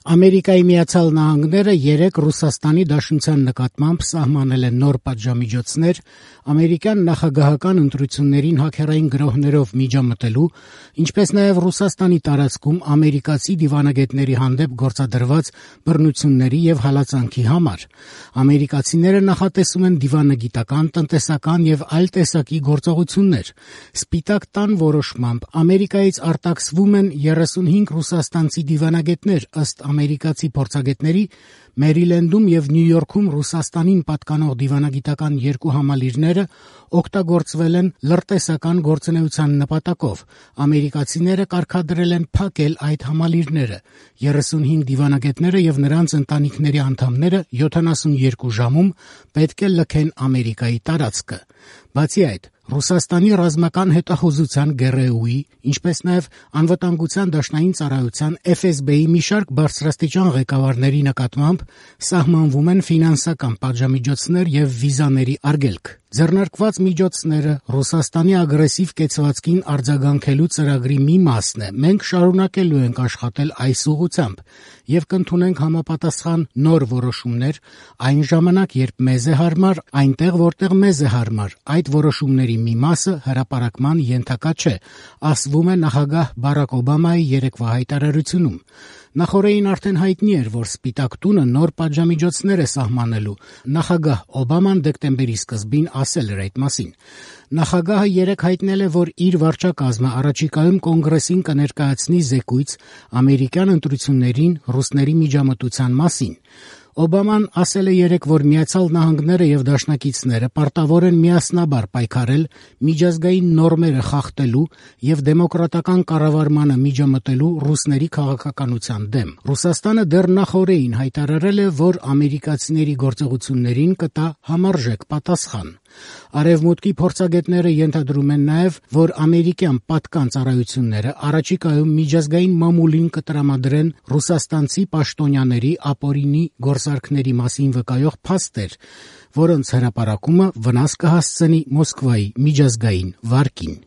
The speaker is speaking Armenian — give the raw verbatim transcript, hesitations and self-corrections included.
Ամերիկայի Միացյալ Նահանգները երեկ Ռուսաստանի Դաշնության նկատմամբ սահմանել են նոր պատժամիջոցներ ամերիկյան նախագահական ընտրություններին հաքերային գրոհներով միջամտելու, ինչպես նաև Ռուսաստանի տարածքում ամերիկացի դիվանագետների հանդեպ գործադրված բռնությունների և հալածանքի համար։ Ամերիկացիները նախատեսում են դիվանագիտական, տնտեսական և այլ տեսակի գործողություններ։ Սպիտակ տան որոշմամբ Ամերիկայից արտաքսվում են երեսունհինգ ռուսաստանցի դիվանագետներ, ըստ ամերիկացի փորձագետների, Մերիլենդում և Նյու Յորքում Ռուսաստանին պատկանող դիվանագիտական երկու համալիրները օգտագործվել են լրտեսական գործունեության նպատակով։ Ամերիկացիները կարգադրել են փակել այդ համալիրները։ երեսունհինգ դիվանագետները և նրանց ընտանիքների անդամները յոթանասունյոթ ժամում պետք է լքեն Ամերիկայի տարածքը։ Բացի այդ, Ռուսաստանի ռազմական հետախուզության ԳՌՈՒ-ի, ինչպես նաև Անվտանգության դաշնային ծառայության Էֆ Էս Բի-ի մի շարք բարձրաստիճան ղեկավարների նկատմամբ սահմանվում են ֆինանսական պատժամիջոցներ և վիզաների արգելք։ Ձեռնարկված միջոցները Ռուսաստանի ագրեսիվ կեցվածքին արձագանքելու ծրագրի մի մասն է։ Մենք շարունակելու ենք աշխատել այս ուղղությամբ և կընդունենք համապատասխան նոր որոշումներ այն ժամանակ, երբ մեզ է հարմար, այնտեղ, որտեղ մեզ է հարմար։ Այդ որոշումների մի մասը հրապարակման ենթակա չէ, ասվում է նախագահ Բարաք Օբամայի երեկվա հայտարարությունում։ Նախօրեին արդեն հայտնի էր, որ Սպիտակ տունը նոր պատժամիջոցներ է սահմանելու։ Նախագահ Օբաման դեկտեմբերի սկզբին ասել էր այդ մասին։ Նախագահը երեկ հայտնել է, որ իր վարչակազմը առաջիկայում կոնգրեսին կներկայացնի զեկույց ամերիկյան ընտրություններին ռուսների միջամտության մասին։ Օբաման ասել է երեկ, որ Միացյալ Նահանգները և դաշնակիցները պարտավոր են միասնաբար պայքարել միջազգային նորմերը խախտելու և դեմոկրատական կառավարմանը միջամտելու ռուսների քաղաքականության դեմ։ Ռուսաստանը դեռ նախօրեին հայտարարել է, որ ամերիկացիների գործողություններին կտա համարժեք պատասխան։ Արևմուտքի փորձագետները ենթադրում են նաև, որ ամերիկյան պատկան ծառայությունները առաջիկայում միջազգային մամուլին կտրամադրեն ռուսաստանցի պաշտոնյաների ապօրինի գործարքների մասին վկայող փաստեր, որոնց հրապարակումը վնաս կհասցնի Մոսկվայի միջազգային վարկին։